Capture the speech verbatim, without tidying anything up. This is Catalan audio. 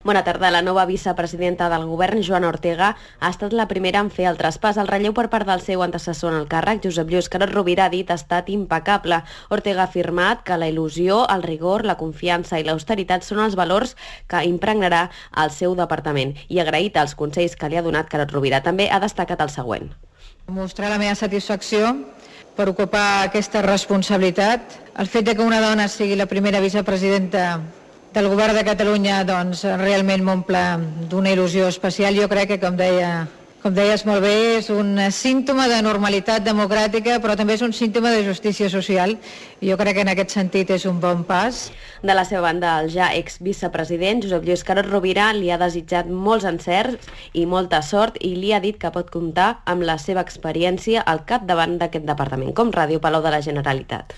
Bona tarda. La nova vicepresidenta del govern, Joana Ortega, ha estat la primera en fer el traspàs. El relleu per part del seu antecessor en el càrrec, Josep Lluís Carod Rovira, ha dit ha estat impecable. Ortega ha afirmat que la il·lusió, el rigor, la confiança i l'austeritat són els valors que impregnarà el seu departament i ha agraït els consells que li ha donat Carod Rovira. També ha destacat el següent. Mostrar la meva satisfacció per ocupar aquesta responsabilitat. El fet de que una dona sigui la primera vicepresidenta del govern de Catalunya doncs, realment m'omple d'una il·lusió especial. Jo crec que, com deia, com deies molt bé, és un símptoma de normalitat democràtica, però també és un símptoma de justícia social. Jo crec que en aquest sentit és un bon pas. De la seva banda, el ja exvicepresident Josep Lluís Carod Rovira li ha desitjat molts encerts i molta sort i li ha dit que pot comptar amb la seva experiència al capdavant d'aquest departament. Com Ràdio Palau de la Generalitat.